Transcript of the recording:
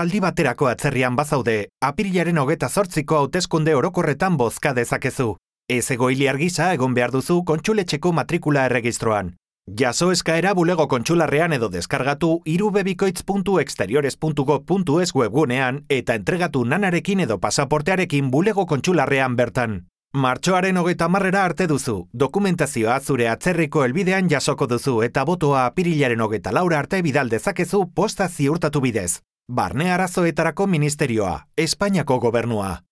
aldi baterako atzerrian bazaude, apirilaren 28ko hauteskunde orokorretan bozka dezakezu. Ez egoiliar gisa egon behar duzu kontsuletxeko matrikula erregistroan. Jaso eskaera bulego kontsularrean edo deskargatu irubebikoitz.exteriores.gov.es webgunean eta entregatu nanarekin edo pasaportearekin bulego kontsularrean bertan. Martxoaren 30 arte duzu, dokumentazioa zure atzerriko helbidean jasoko duzu eta botoa apirilaren 24 arte bidal dezakezu posta ziurtatu bidez. Barne arazoetarako ministerioa, Espainiako gobernua.